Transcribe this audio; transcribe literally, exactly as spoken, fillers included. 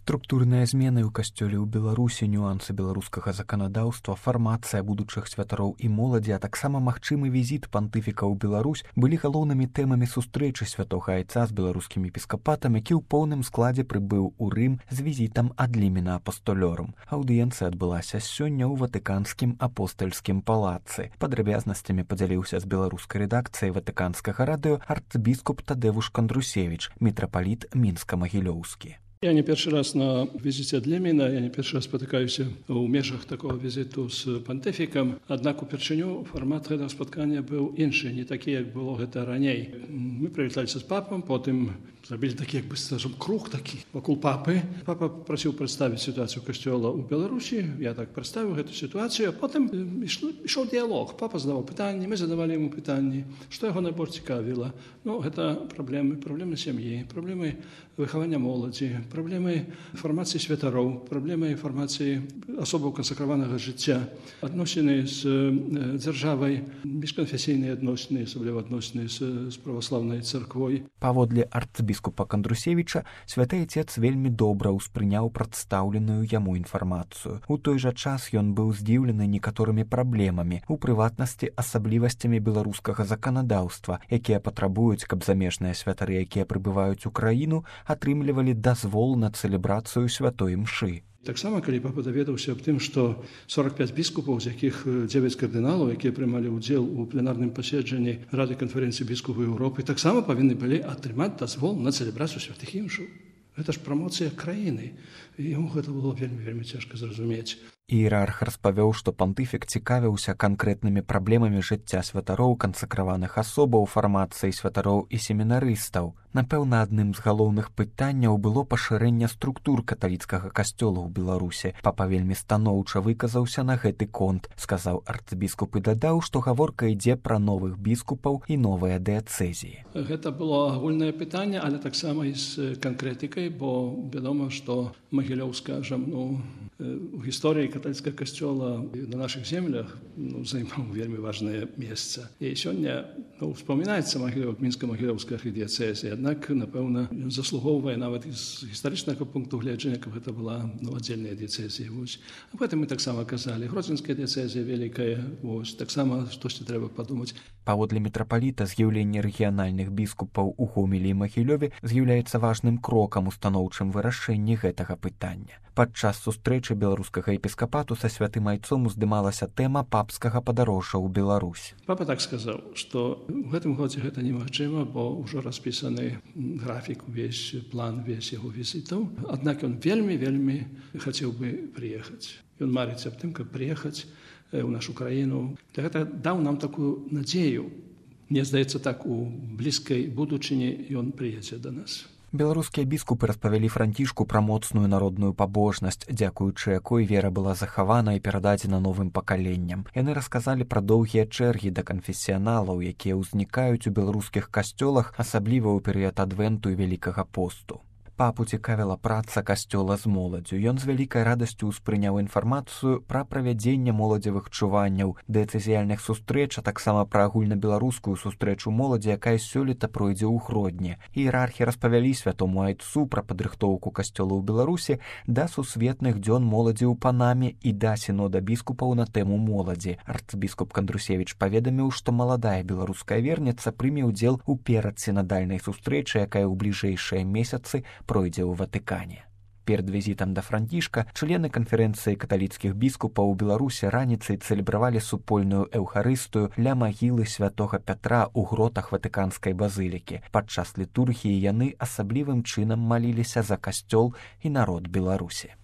Структурныя змены ў касцёле ў Беларусі, нюансы беларускага заканадаўства, фармацыя будучых святароў і моладзі, а таксама магчымы візіт пантыфіка ў Беларусь былі галоўнымі тэмамі сустрэчы святога айца з беларускім епіскапатам, які ў поўным складзе прыбыў у Рым з візітам ад лімена апостолёрум. Аўдыенцыя адбылася сёння ў ватыканскім апостальскім палацы. Падрабязнасцямі падзяліўся з беларускай рэдакцыяй ватыканскага радыё арцыбіскуп Тадевуш Кандрусевич, мітрапаліт Мінска-Магілёўскі. Я не першы раз на візіце ад Леміна, я не першы раз спатыкаюся ў межах такого візіту з пантыфікам, аднак упершыню фармат гэтага спаткання быў іншы, не такі, як было гэта раней. Мы прывіталіся з папам, потым зрабілі такі, як бы, скажем, круг такі вакол папы. Папа прасіў прадставіць сітуацыю касцёла ў Беларусі, я так прадставіў гэту сітуацыю, а потым ішоў дыялог. Папа задаваў пытанні, мы задавалі яму пытанні, што яго найбольш цікавіла. Ну, гэта праблемы, праблемы сям'і, праблемы выхавання моладзі, праблемы фармацыі святароў, праблемы фармацыі асобаў кансакраванага жыцця, адносіны з дзяржавай, міжканфесійныя адносіны, асабліва адносіны з, з праваслаўнай царквой. Паводле арцыбіскупа Кандрусевіча, святы айцец вельмі добра ўспрыняў прадстаўленую яму інфармацыю. У той жа час ён быў здзіўлены некаторымі праблемамі, у прыватнасці асаблівасцямі беларускага заканадаўства, якія патрабуюць, каб замежныя святары, якія прыбываюць у краіну, атрымлівалі дазвол на цэлебрацыю святой мшы. Таксама, калі папа даведаўся аб тым, што сорок пяць біскупаў, з якіх дзевяць кардыналаў, якія прымалі ўдзел у пленарным паседжанні Рады канферэнцыі біскупаў Еўропы, таксама павінны былі атрымаць дазвол на цэлебрацыю святых імшаў. Гэта ж прамоцыя краіны. І яму гэта было вельмі-вельмі цяжка зразумець. Іерарх распавёў, што пантыфік цікавіўся канкрэтнымі праблемамі жыцця святароў, кансакраваных асобаў, фармацыі святароў і семінарыстаў. Напэўна, адным з галоўных пытанняў было пашырэнне структур каталіцкага касцёла ў Беларусе. Папа вельмі станоўча выказаўся на гэты конт, сказаў арцыбіскуп і дадаў, што гаворка ідзе пра новых біскупаў і новыя дыяцэзіі. Гэта было агульнае пытанне, але таксама і з канкрэтыкай, бо вядома, што Магілёўска, ну, у гісторыі каталіцкага касцёла на нашых землях, ну, займаў вельмі важнае месца. І сёння, ну, успамінаецца Магілёў, мінска-магілёўская архідыяцэзія, аднак, напэўна, ён заслугоўвае нават з гістарычнага пункту гледжання, каб гэта была, ну, аддзельная дыяцэзія. Аб гэтым мы таксама казалі. Гродзенская дыяцэзія вялікая, вось, таксама штосьці трэба падумаць. Паводле мітрапаліта, з'яўленне рэгіянальных біскупаў у Гомелі і Магілёве з'яўляецца важным крокам у станоўчым вырашэнні гэтага пытання. Падчас сустрэчы беларускага епіскапату са святым айцом уздымалася тэма папскага падарожжа ў Беларусь. Папа так сказаў, што ў гэтым годзе гэта немагчыма, бо ўжо распісаны графік, увесь план, весь яго візітаў. Аднак ён вельмі-вельмі хацеў бы прыехаць. Ён марыць аб тым, каб прыехаць у нашу краіну. Гэта даў нам такую надзею. Мне здаецца, так у блізкай будучыні ён прыедзе да нас. Беларускія біскупы распавялі Францішку пра моцную народную пабожнасць, дзякуючы якой вера была захавана і перададзена новым пакаленням. Яны расказалі пра доўгія чэргі да канфесіяналаў, якія ўзнікаюць у беларускіх касцёлах, асабліва ў перыяд адвенту і вялікага посту. Папу цікавіла праца касцёла з моладзю. Ён з вялікай радасцю ўспрыняў інфармацыю пра правядзенне моладзевых чуванняў, дыяцэзіяльных сустрэч, а таксама пра агульнабеларускую сустрэчу моладзі, якая сёлета пройдзе ў Гродні. Іерархі распавялі святому айцу пра падрыхтоўку касцёла ў Беларусі да сусветных дзён моладзі ў Панаме і да сінода біскупаў на тэму моладзі. Арцыбіскуп Кандрусевіч паведаміў, што маладая беларуская верніца прыме ўдзел у перадсінадальнай сустрэчы, якая ў бліжэйшыя месяцы пройдзе ў Ватыкане. Перад візітам да Францішка члены канферэнцыі каталіцкіх біскупаў у Беларусі раніцай цэлебравалі супольную эўхарыстыю ля магілы святога Пятра ў гротах ватыканскай базылікі. Падчас літургіі яны асаблівым чынам маліліся за касцёл і народ Беларусі.